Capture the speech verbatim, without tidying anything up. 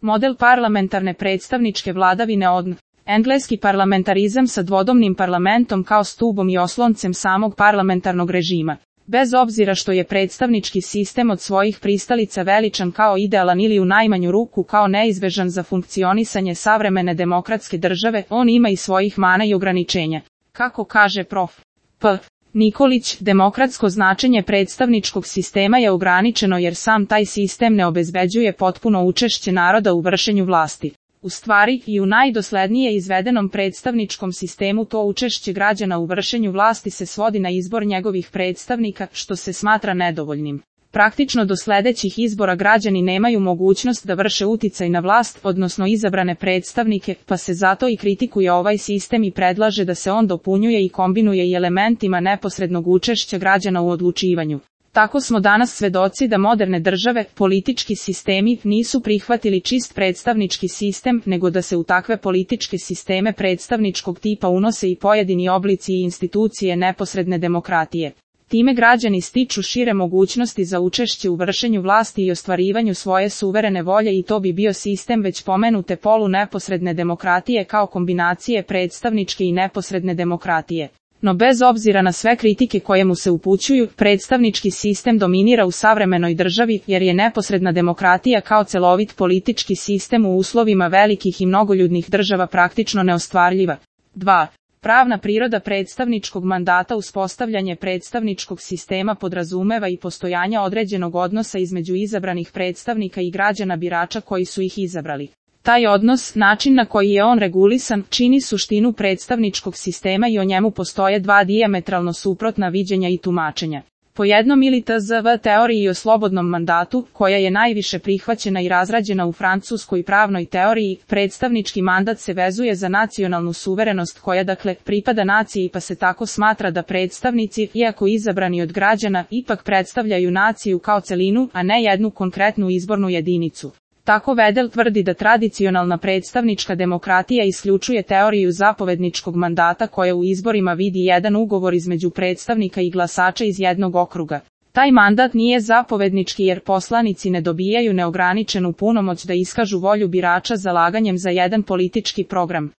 Model parlamentarne predstavničke vladavine od engleski parlamentarizam sa dvodomnim parlamentom kao stubom i osloncem samog parlamentarnog režima. Bez obzira što je predstavnički sistem od svojih pristalica veličan kao idealan ili u najmanju ruku kao neizbežan za funkcionisanje savremene demokratske države, on ima i svojih mana i ograničenja. Kako kaže prof. P. Nikolić, demokratsko značenje predstavničkog sistema je ograničeno jer sam taj sistem ne obezbeđuje potpuno učešće naroda u vršenju vlasti. U stvari, i u najdoslednije izvedenom predstavničkom sistemu to učešće građana u vršenju vlasti se svodi na izbor njegovih predstavnika, što se smatra nedovoljnim. Praktično do sledećih izbora građani nemaju mogućnost da vrše uticaj na vlast, odnosno izabrane predstavnike, pa se zato i kritikuje ovaj sistem i predlaže da se on dopunjuje i kombinuje i elementima neposrednog učešća građana u odlučivanju. Tako smo danas svedoci da moderne države, politički sistemi, nisu prihvatili čist predstavnički sistem, nego da se u takve političke sisteme predstavničkog tipa unose i pojedini oblici i institucije neposredne demokratije. Time građani stiču šire mogućnosti za učešće u vršenju vlasti i ostvarivanju svoje suverene volje i to bi bio sistem već pomenute polu neposredne demokratije kao kombinacije predstavničke i neposredne demokratije. No bez obzira na sve kritike koje mu se upućuju, predstavnički sistem dominira u savremenoj državi jer je neposredna demokratija kao celovit politički sistem u uslovima velikih i mnogoljudnih država praktično neostvarljiva. dva. Pravna priroda predstavničkog mandata. Uspostavljanje predstavničkog sistema podrazumeva i postojanje određenog odnosa između izabranih predstavnika i građana birača koji su ih izabrali. Taj odnos, način na koji je on regulisan, čini suštinu predstavničkog sistema i o njemu postoje dva dijametralno suprotna viđenja i tumačenja. Po jednom ili tzv. teoriji o slobodnom mandatu, koja je najviše prihvaćena i razrađena u francuskoj pravnoj teoriji, predstavnički mandat se vezuje za nacionalnu suverenost koja dakle pripada naciji pa se tako smatra da predstavnici, iako izabrani od građana, ipak predstavljaju naciju kao celinu, a ne jednu konkretnu izbornu jedinicu. Tako Vedel tvrdi da tradicionalna predstavnička demokratija isključuje teoriju zapovedničkog mandata koja u izborima vidi jedan ugovor između predstavnika i glasača iz jednog okruga. Taj mandat nije zapovednički jer poslanici ne dobijaju neograničenu punomoć da iskažu volju birača zalaganjem za jedan politički program.